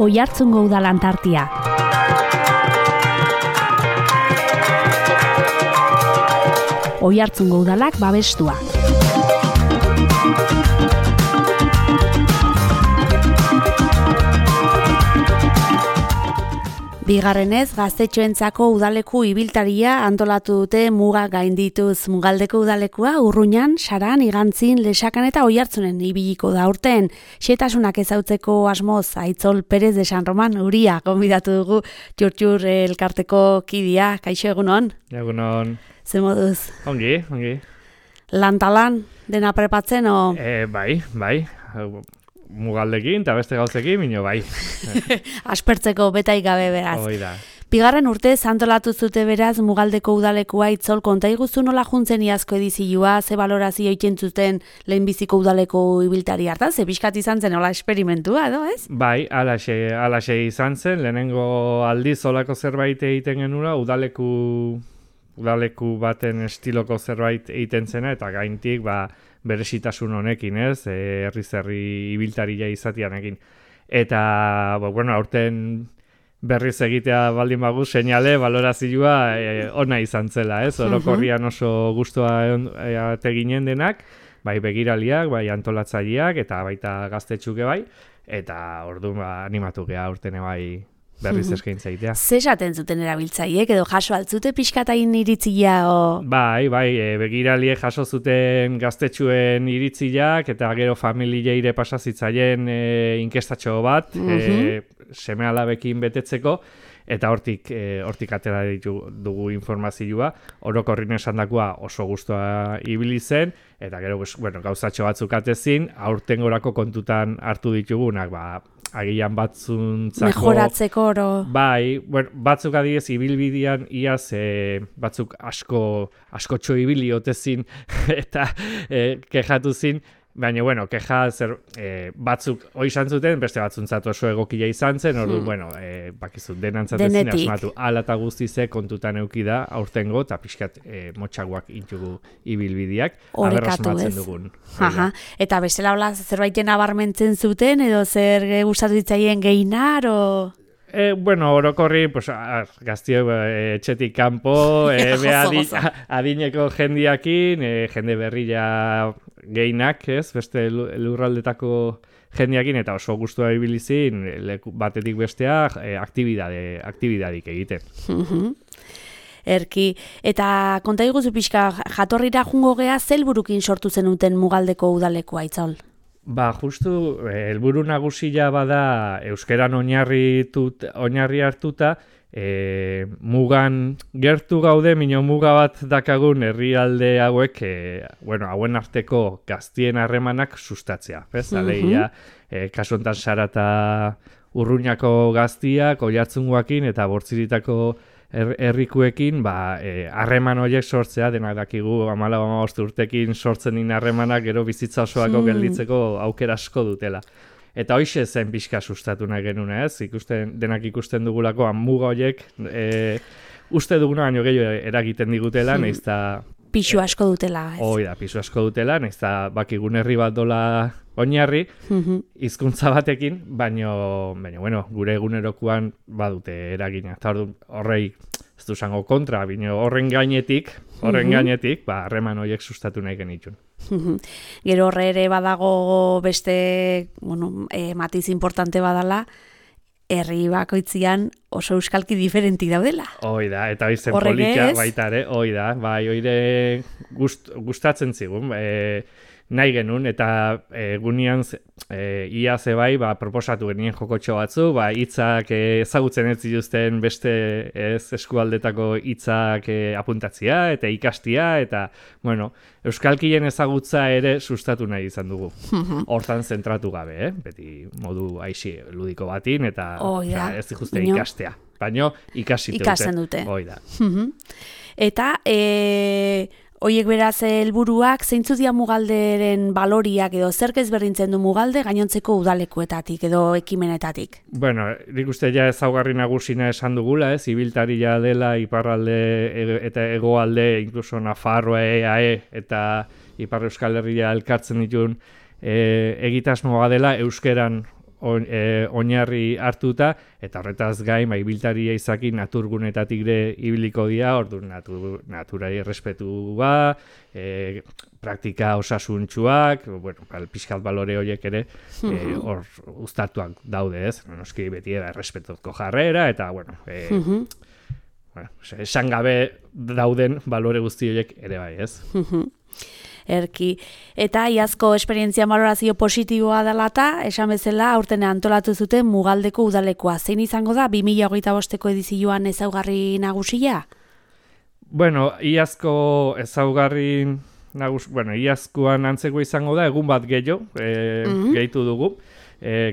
Oiartzungo Udal Antartia. Oiartzungo Udalak babestua. Bigarrenez, gaztetxoentzako udaleku ibiltaria antolatu dute muga gaindituz. Mugaldeko udalekua Urruñan, Saran, Igantzin, Lexakan eta Oiartzunen ibiliko da urten. Xetasunak ezautzeko asmoz, Aitzol Perez de San Roman Uria gonbidatu dugu Txur elkarteko kidea. Kaixo, egunon? Egunon. Ze moduz? Ongi. Lantalan, dena prepatzen, o? Bai. Mugaldekin eta beste gauzekin, minio bai. Aspertzeko betai gabe beraz. Hoi da. Bigarren urte antolatu zute beraz Mugaldeko udalekua. Itzol, konta iguzu nola juntzen iazko edizioa, ze balorazio egiten zuten lehenbiziko udaleko ibiltari hartan, ze pixkat izan zen nola esperimentua, edo ez? Bai, alaxe izan zen, lehenengo aldiz olako zerbait egiten genula, udaleku baten estiloko zerbait egiten zena, eta gaintik, beresitasun honekin, ez, herri ibiltaria izatianekin. Eta, aurten berriz egitea baldin bagu, seinale, balorazioa ona izan zela, ez, orokorrian oso gustua teginen denak, bai begiraliak, bai antolatzaileak, eta baita gaztetxuke bai, eta orduan animatu geha urtene bai berriz eskaintza egitea. Ze esaten zuten erabiltzaiek edo jaso altzute pixkatain iritzia o? Bai, begiraliek jaso zuten gaztetxuen iritziak eta gero familieire pasazitzaien inkestatxo bat, seme-alabekin betetzeko, eta hortik atera dugu informazioa, orokorrin esandakoa oso gustua ibili zen, eta gero gauzatxo batzuk atezin, aurtengorako kontutan hartu ditugunak, agian batzuntzako... Mejoratzeko oro... Bai, batzuk adibidez ibilbidean iaz batzuk askotxo ibili otezin eta kejatu zin, baina, keja batzuk izan zuten, beste batzuntzat oso egokia izan zen, orduan, bakizu, denantzatezin asmatu ala eta guztize kontutan euki da aurtengo, eta pixkat motxaguak intugu ibilbideak, aberrasmatzen dugun. Eta bestela hola zerbaiten abarmentzen zuten, edo zer gustatu ditzaien gehinar, o... Orokorri, gaztio etxetik kanpo, adineko jendiakin, jende berria gehienak, ez, beste lurraldetako jendiakin, eta oso gustua ibilizin, batetik bestea, aktibidadik egiten. Erki, eta konta iguzu pixka, jatorrira jungo gea, zelburukin sortu zenuten Mugaldeko udalekoa, Aitzol? Justu, helburu nagusia bada euskeran oinarri hartuta, mugan gertu gaude, mino muga bat dakagun herrialde hauek, hauen arteko gaztien harremanak sustatzea. Alegia, kasu hontan Sarata Urruñako gaztiak, Oiartzungoakin eta Bortziritako herrikuekin harreman horiek sortzea, denak dakigu 14 urtekin sortzen din harremanak gero bizitza osoako gelditzeko aukera asko dutela. Eta hoixe zen pixka sustatu nahi genuna, ez? Denak ikusten dugulako muga horiek uste duguna baino gehiago eragiten digutela, nahiz eta... Pisu asko dutela, ez? Hoi da, pisu asko dutela, nahiz eta bakigun herri bat dola oinarri, hizkuntza batekin, baina gure egunerokoan badute eragina. Eta horrei, ez du zango kontra, baina horren gainetik, harreman horiek sustatu nahi genitun. Gero horre ere badago beste, matiz importante badala, herri bakoitzian oso euskalki diferenti daudela. Hoi da, eta izen politia baita ere, hoi da, oire gustatzen zigun, nahi genuen, eta gunean ia zebai proposatu genien jokotxo batzu, hitzak ezagutzen ez zituzten beste eskualdetako hitzak apuntatzia eta ikastia, eta euskalkien ezagutza ere sustatu nahi izan dugu. Hortan zentratu gabe, beti modu aixi ludiko batin, eta ez dikuste ikastea. Baina ikasten dute. Eta Hoiek beraz helburuak zeintzu dira Mugalderen baloriak edo zerk ezberdintzen du Mugalde gainontzeko udalekuetatik edo ekimenetatik? Bueno, nik uste ja ezaugarri nagusina esan dugula, ibiltaria dela iparralde eta hegoalde, incluso Nafarroa, EAE eta Ipar Euskal Herria elkartzen dituen egitasmoa dela euskeran oinarri hartuta, eta horretaz gain, ibiltaria izaki naturgunetatik ere ibiliko dira, orduan naturai errespetua, praktika osasuntsuak, bueno, pixkat balore horiek ere hor uztartuak daude, ez? Noski beti errespetuzko jarrera, eta, bueno, esan gabe dauden balore guzti horiek ere bai, ez? Erki. Eta iazko esperientzia valorazio positiboa dela eta, esan bezala, aurten antolatu zuten Mugaldeko udalekoa. Zein izango da 2025ko edizioan ezaugarri nagusia? Bueno, iazko ezaugarri iazkoan antzeko izango da, egun bat gehiago, gehitu dugu.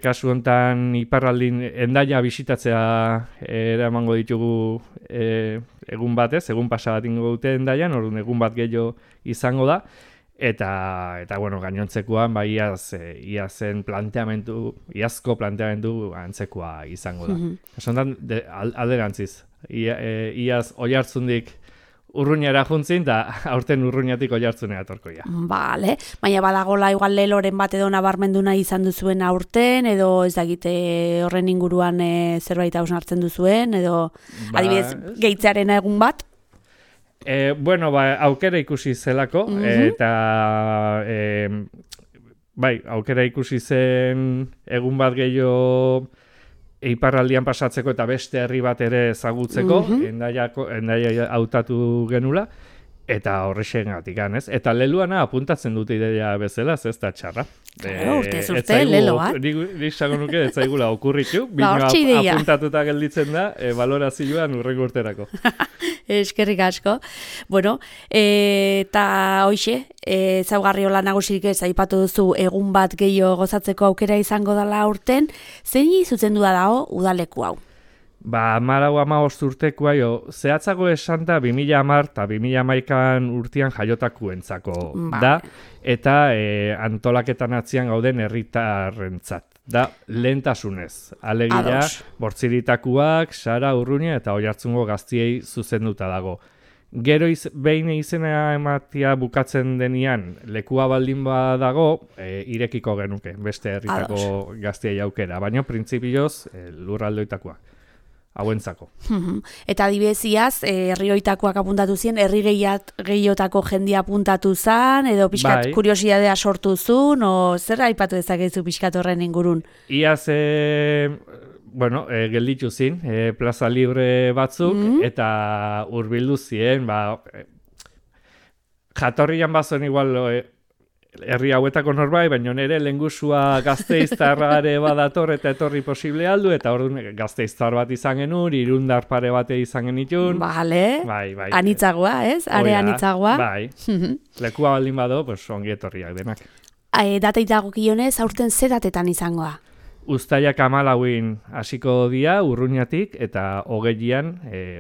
Kasu honetan iparraldin Hendaia bisitatzea eramango ditugu egun batez, egun pasa bat ingo dute Hendaian, orduan egun bat gehiago izango da. Eta bueno, gainontzekoan iazko planteamendu antzekoa izango da. Esan alderantziz, iaz Oiartzundik Urruñara juntzin, da aurten Urruñatik Oiartzunera etorkoia. Bale, baina badagola igual leloren bat edo nabarmendu nahi izan duzuen aurten, edo ez dakite horren inguruan zerbait hausnartzen duzuen, edo adibidez gehitzearen egun bat? Bueno, aukera ikusi zelako, eta aukera ikusi zen egun bat gehiago iparraldian pasatzeko eta beste herri bat ere ezagutzeko, Hendaia hautatu genula, eta horrexengatik ez? Eta leluana apuntatzen dute ideia bezala, ez da txarra. Urte, lelo bat. Nik zago nuke, ez zaigula okurritu, bino apuntatuta gelditzen da, balorazioan urrengo urterako. Eskerrik asko. Bueno, eta hoixe, zaugarri hola nagusirik ez aipatu duzu egun bat gehiago gozatzeko aukera izango dela aurten, zein zuzendua dago udaleku hau? 14 urtekoa zehatzago esan da 2010 eta 2011 urtean jaiotakuentzako da, eta antolaketan atzian gauden herritarrentzat. Da lehentasunez. Alegia, Bortziritakuak, Sara, Urruña eta Oiartzungo gaztiei zuzenduta dago. Gero behin izena ematia bukatzen denian lekua baldin badago, irekiko genuke beste herritako gaztiei aukera, baina printzipioz lurraldoitakoak. Hauentzako. Eta adibeziaz, herrioitakoak apuntatu ziren, herri gehiotako jendia apuntatu zan, edo pixkat kuriosidadea sortu zun, o zer aipatu dezakezu pixkat horren ingurun? Iaz, gelditu zin, plaza libre batzuk, eta hurbildu ziren, jatorrian bazuen igual herri hauetako norbait, baina nire lehengusua Gasteiztarra ere badator eta etorri posible aldu, eta orduan Gasteiztar bat izan genuen, Irundar pare bate izan genitun. Bale, anitzagoa, ez? Are anitzagoa. Bai, lekua baldin bado, ongi etorriak denak. Datei dagokionez, aurten ze datetan izangoa? Uztailak 14 hasiko dira Urruñatik eta 20an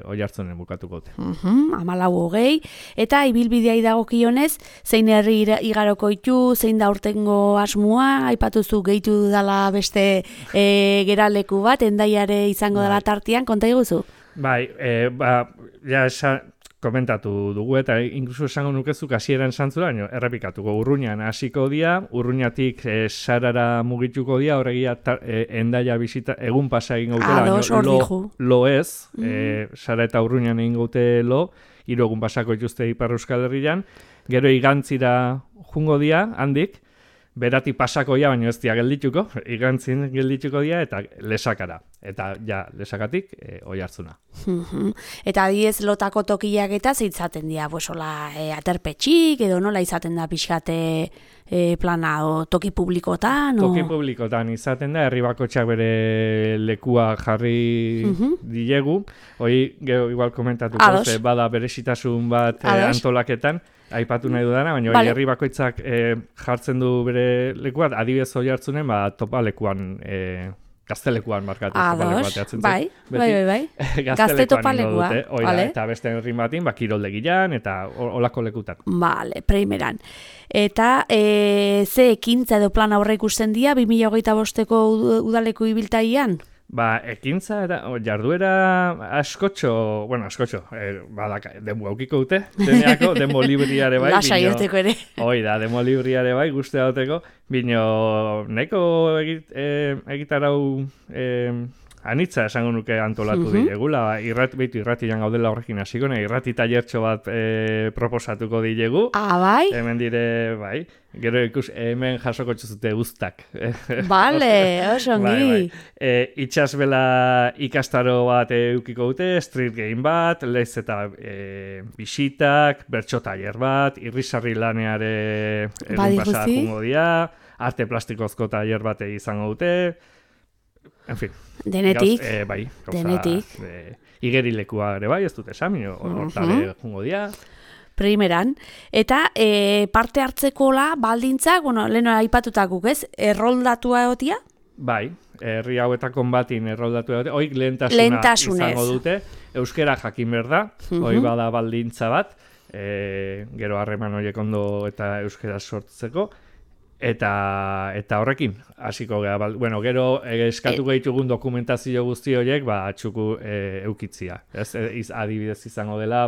Oiartzunen bukatuko dute. 14-20, eta ibilbideai dagokionez, zein herri igaroko ditu, zein da urtengo asmoa, aipatuzu gehitu dela beste geraleku bat, Hendaiare izango dela tartean, konta iguzu? Bai, komentatu dugu eta inkluso esango nukezuk hasieran santzura, errepikatuko Urruñan hasiko dia, Urruñatik Sarara mugituko dia, horregia Hendaia bisita egun pasa egin gautela, lo ez, Sara eta Urruñan egin gaute lo, 3 egun pasako dituzte Ipar Euskal Herrian, gero igantzira jungo dia, handik, berati pasako ja, baina ez dia geldituko, igantzin geldituko dia, eta lesakara. Eta lesakatik Oiartzuna. Eta adiez lotako tokiak eta zeitzaten dira, aterpetxik, edo nola izaten da pixkate plana, toki publikotan? Toki publikotan izaten da, herri bakotxak bere lekua jarri dilegu. Hoi, gero igual komentatuko, bada beresitasun bat antolaketan, aipatu nahi dudana, baina herri bakoitzak jartzen du bere lekuat, adibidez Oiartzunen, topa lekuan Gaztelekuan markatu topaleku bateatzen bai. Gazte topalekua. Eta beste herri batin, kiroldegian eta olako lekutan. Vale, primeran. Eta ze ekintza edo plan aurre ikusten dira 2025ko udaleku ibiltaian? Ekintza eta jarduera askotxo, demo aukiko dute, demo libriare bai. Lasa irteko ere. Demo libriare bai, guzti dauteko, bino nahiko egitarau anitza esango nuke antolatu dilegula, irratian gaudela horrekin hasiko, irrati tailertxo bat proposatuko dilegu. Bai? Hemen dire, bai. Gero ikus hemen jasoko txuzute guztak. Bale, osongi. Itxasbela ikastaro bat eukiko dute, street game bat, lez eta bisitak, bertso tailer bat, irrisarri laneare egun pasa jungo dia, arte plastikozko tailer bat izango dute, en fin. Denetik. Denetik. Igerilekua ere bai, ez dute esan, hortale jungo dia. Primeran. Eta parte hartzekola baldintzak, leheno aipatutakuk, ez? Erroldatua egotia? Bai, herri hauetakon batin erroldatua egotia. Oik lehentasuna izango dute. Euskera jakin behar da, hoi bada baldintza bat, gero harreman horiek ondo eta euskera sortzeko. Eta horrekin, hasiko gara, gero eskatuko ditugun dokumentazio guzti horiek, txuku eukitzia. Adibidez izango dela,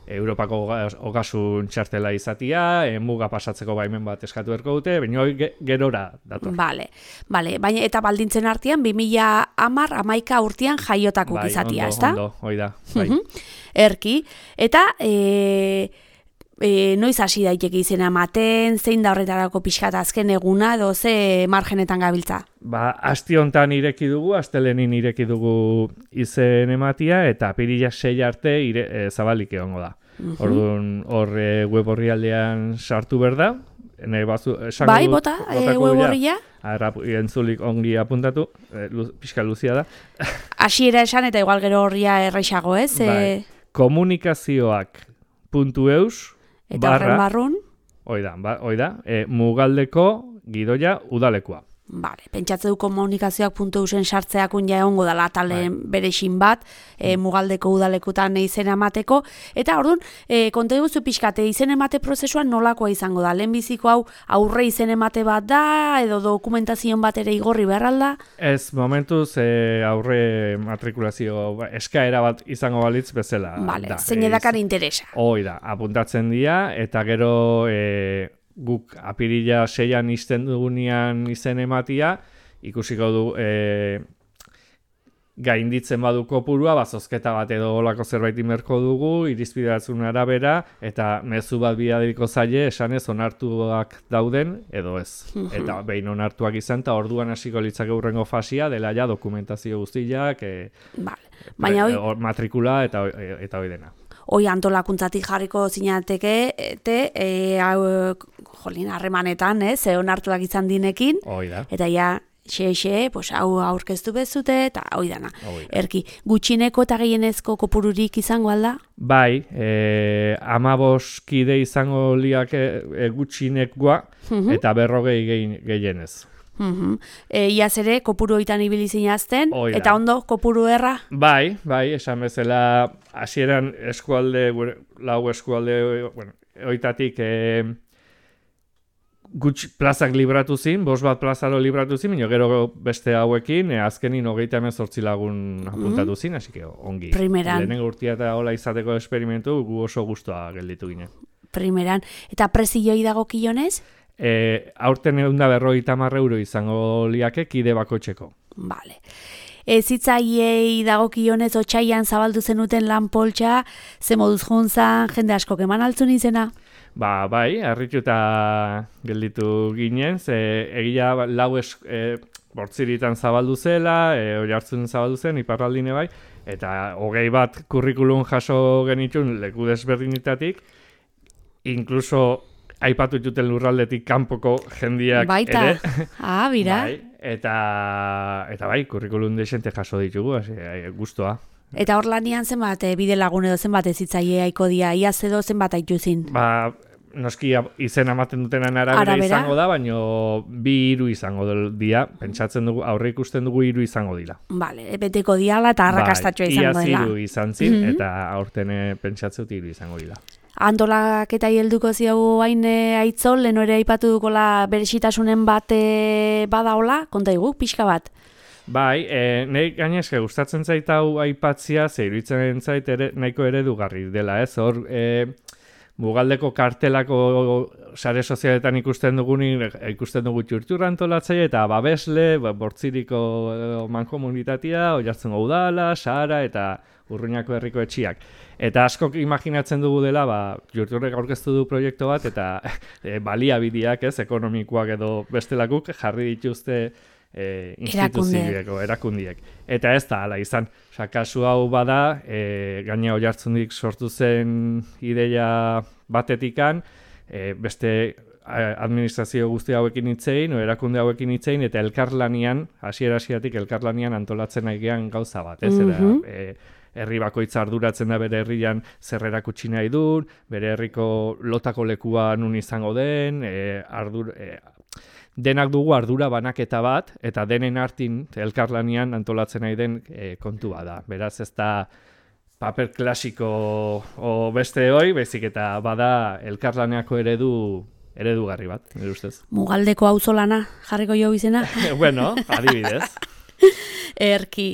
Europako ogasun txartela izatia, muga pasatzeko baimen bat eskatu berko dute, baina gerora dator. Bale, baina eta baldintzen artean, 2010-11 urtean jaiotakuk izatia, ezta? Ondo, hoi da. Erki, eta noiz hasi daiteke izena ematen, zein da horretarako pixkat azken eguna, edo ze margenetan gabiltza? Asti hontan ireki dugu, astelenin ireki dugu izen ematia, eta apirila 6 arte zabalik egongo da. Orduan, hor web horrialdean sartu behar da. Bai, bota, web horria? Entzulik ongi apuntatu, pixka luzia da. Hasiera esan eta igual gero horria erreixago, ez? Komunikazioak.eus eta horren barrun? Oida, Mugaldeko gidoia udalekua. Bale, pentsatze du komunikazioak.eusen sartzeakun ja egongo dela atalen berexin bat, Mugaldeko udalekutan izen emateko, eta orduan, konta eguzu pixkate, izen emate prozesuan nolakoa izango da? Lehenbiziko hau aurre izen emate bat da, edo dokumentazion bat ere igorri beharralda? Ez, momentuz aurre matrikulazio eskaera bat izango balitz bezala. Bale, zein edakar interesa. Oida, apuntatzen dira, eta gero guk apirila 6an izten dugunean izen ematia, ikusiko du gainditzen badu kopurua, zozketa bat edo olako zerbait imerko dugu, irizpidatzen arabera, eta mezu bat bidaliko zaie, esanez onartuak dauden, edo ez. Eta behin onartuak izan, eta orduan hasiko litzake hurrengo fasia, dela ja dokumentazio guztiak, matrikula eta hoi dena. Hoi antolakuntzatik jarriko zinateke, harremanetan, onartuak izan dinekin, eta ja, hau aurkeztu bezute, eta hoi dana. Erki, gutxineko eta gehienezko kopururik izango alda? Bai, 15 kide izango liak gutxinekoa, eta 40 gehienez. Iaz ere, kopuru oitan ibili zinazten, eta ondo, kopuru erra? Bai, esan bezala, hasieran eskualde, lau eskualde, oitatik plazak libratu zin, 5 plazaro libratu zin, gero beste hauekin, azkenin 38 lagun apuntatu zin, hasi que ongi. Primeran. Lehenengo urtia eta hola izateko esperimentu, gu oso guztua gelditu ginen. Primeran. Eta prezioi dagokionez? Aurten €150 izango liake kide bakoitzeko. Bale. Zitzaiei dagokionez otsaian zabaldu zenuten lan poltsa, ze moduz juntzan, jende askok eman altzun izena? Bai, harrituta gelditu ginen, egia bortziritan zabaldu zela, oihartzun zabaldu zen, iparraldine bai, eta 21 kurrikulum jaso genitun leku desberdinetatik, inkluso aipatu juten lurraldetik kanpoko jendiak baita. Ere. Bira. Bai, eta bai, kurrikulum desente jaso ditugu, guztua. Eta hor lanian zenbat bide lagun edo zenbat ezitzaile aiko dia, iaz edo zenbat aituzin? noski izena ematen dutenen arabera izango da, baina 2-3 izango dira. Pentsatzen dugu, aurre ikusten dugu 3 izango dira. Vale, beteko diala eta arrakastatxoa izango dela. Iaz 3 izan zin, eta aurten pentsatzen dut 3 izango dira. Antolaketa helduko ziago hain Aitzol, leno ere aipatu dukola berezitasunen bat badaola, konta igu, pixka bat. Bai, nahi gainezke gustatzen zait hau aipatzia, ze iruditzen zait nahiko eredugarri dela, ez? Hor, Mugaldeko kartelako sare sozialetan ikusten dugu txurtxurra antolatzaile eta babesle, Bortziriko mankomunitatea, Oiartzungo udala, Sahara eta Urruñako herriko etxiak. Eta askok imaginatzen dugu dela, txurtxurrek aurkeztu du proiektu bat eta baliabideak, ez, ekonomikoak edo bestelakuk jarri dituzte instituzioko erakundiek. Eta ez da, hala izan. Kasu hau bada, gaina Oiartzundik sortu zen ideia batetikan, beste administrazio guzti hauekin hitzein, erakunde hauekin hitzein, eta elkarlanian, hasiera-hasieratik elkarlanian antolatzen aigean gauza bat, ez? Herri bakoitza arduratzen da bere herrian zer erakutsi nahi duen, bere herriko lotako lekua nun izango den, denak dugu ardura banaketa bat, eta denen artin elkarlanian antolatzen nahi den kontua da. Beraz ez da paper klasiko beste hoi, baizik eta bada elkarlaneako eredugarri bat, nire ustez. Mugaldeko auzolana jarriko jo izena? Bueno, adibidez. Erki.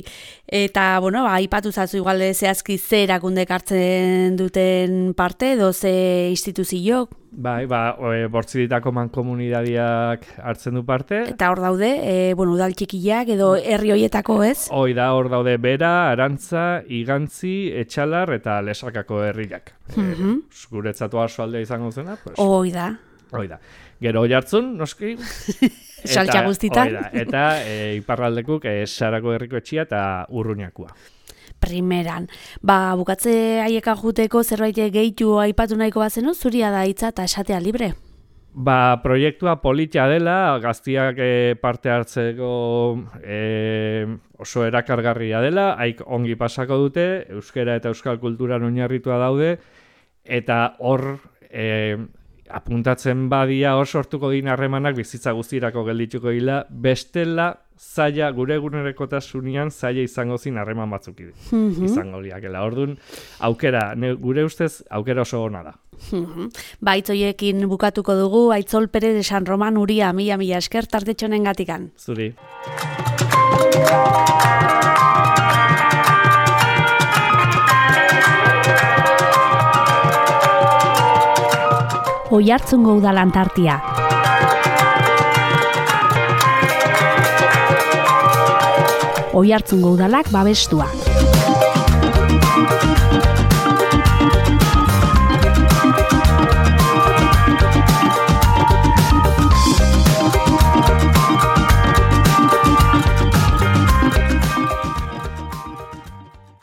Eta, aipatu zazu igual zehazki ze erakundek hartzen duten parte, edo ze instituziok? Bai, Bortziritako mankomunidadiak hartzen du parte. Eta hor daude, udal txikiak edo herri hoietako, ez? Hoi da, hor daude Bera, Arantza, Igantzi, Etxalar eta Lesakako herriak. Guretzatu Arsoaldea izango zena, pues. Hoi da. Gero Oiartzun, noski. Saltxa guztitan. Eta iparraldekuk Sarako herriko etxia eta Urruñakoa. Primeran. Bukatze haieka juteko zerbait gehitu aipatu nahiko bazenu, zuria da hitza eta esatea libre. Proiektua politia dela, gaztiak parte hartzeko oso erakargarria dela, haik ongi pasako dute, euskera eta euskal kulturan oinarritua daude, eta hor apuntatzen badia hor sortuko din harremanak bizitza guztirako geldituko dira, bestela zaila gure egunerokotasunean zaila izango zin harreman batzuk izango liakela. Orduan, gure ustez aukera oso ona da. Aitzoiekin bukatuko dugu, Aitzol Perez de San Roman Uria, mila esker tartetxonen gatikan. Zuri. Oiartzungo udalan tartia. Oiartzungo udalak babestua.